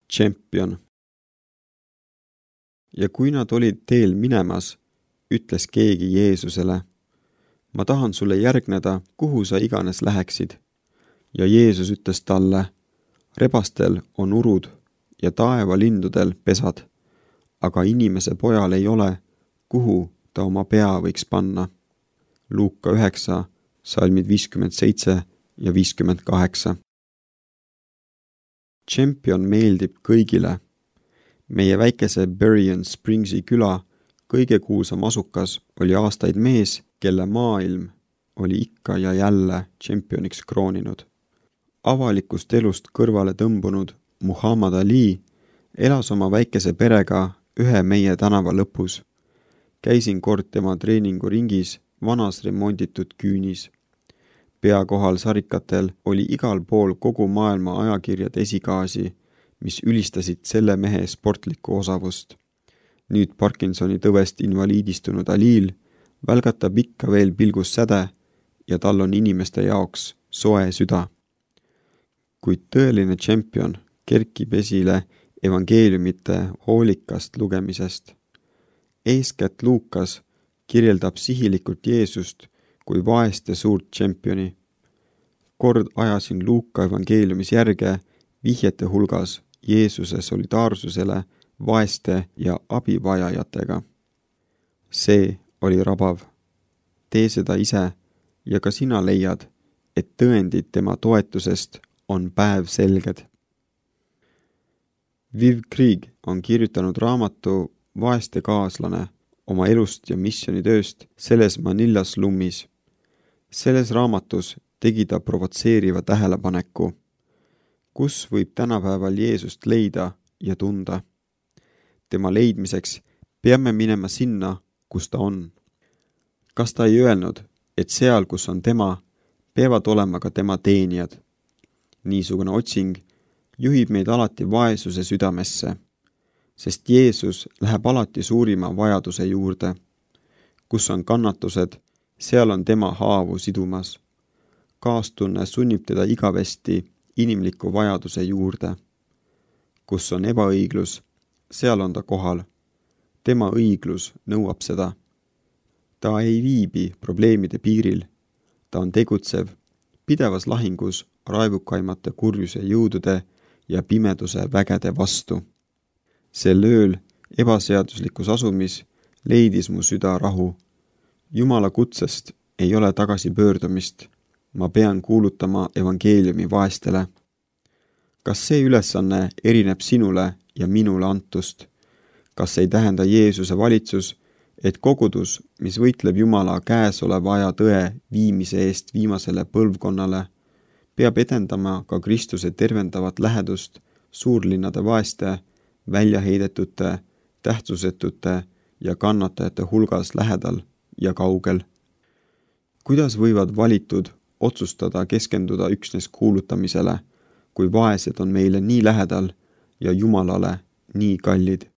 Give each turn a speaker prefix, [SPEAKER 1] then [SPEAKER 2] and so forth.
[SPEAKER 1] Tšempion. Ja kui nad olid teel minemas, ütles keegi Jeesusele, ma tahan sulle järgneda, kuhu sa iganes läheksid. Ja Jeesus ütles talle, rebastel on urud ja taevalindudel pesad, aga inimese pojal ei ole, kuhu ta oma pea võiks panna. Luuka 9, salmid 57 ja 58. Tšempion meeldib kõigile. Meie väikese Berrien Springsi küla kõige kuulsam asukas oli aastaid mees, kelle maailm oli ikka ja jälle tšempioniks krooninud. Avalikust elust kõrvale tõmbunud Muhammad Ali elas oma väikese perega ühe meie tänava lõpus. Käisin kord tema treeninguringis vanas remonditud küünis. Pea kohal sarikatel oli igal pool kogu maailma ajakirjade esikaasi, mis ülistasid selle mehe sportlikku osavust. Nüüd Parkinsoni tõvest invaliidistunud Alil välgatab ikka veel pilgus säde ja tal on inimeste jaoks soe süda. Kuid tõeline tšempion kerkib esile evangeeliumite hoolikast lugemisest. Eeskätt Luukas kirjeldab sihilikult Jeesust kui vaeste suurt tšempioni. Kord ajasin Luuka evangeeliumis järge vihjete hulgas Jeesuse solidaarsusele vaeste ja abivajajatega. See oli rabav. Tee seda ise ja ka sina leiad, et tõendid tema toetusest on päevselged. Viv Krieg on kirjutanud raamatu Vaeste kaaslane oma elust ja missionitööst selles Manila slummis. Selles raamatus tegi ta provotseeriva tähelepaneku. Kus võib tänapäeval Jeesust leida ja tunda? Tema leidmiseks peame minema sinna, kus ta on. Kas ta ei öelnud, et seal, kus on tema, peavad olema ka tema teenijad? Niisugune otsing juhib meid alati vaesuse südamesse, sest Jeesus läheb alati suurima vajaduse juurde. Kus on kannatused, seal on tema haavu sidumas. Kaastunne sunnib teda igavesti inimliku vajaduse juurde. Kus on ebaõiglus, seal on ta kohal. Tema õiglus nõuab seda. Ta ei viibi probleemide piiril. Ta on tegutsev, pidevas lahingus raevukaimate kurjuse jõudude ja pimeduse vägede vastu. Sel ööl ebaseaduslikus asumis leidis mu süda rahu. Jumala kutsest ei ole tagasi pöördumist. Ma pean kuulutama evangeeliumi vaestele. Kas see ülesanne erineb sinule ja minule antust? Kas ei tähenda Jeesuse valitsus, et kogudus, mis võitleb Jumala käesoleva aja tõe viimise eest viimasele põlvkonnale, peab edendama ka Kristuse tervendavat lähedust suurlinnade vaeste, väljaheidetute, tähtsusetute ja kannatajate hulgas lähedal ja kaugel? Kuidas võivad valitud otsustada keskenduda üksnes kuulutamisele, kui vaesed on meile nii lähedal ja Jumalale nii kallid?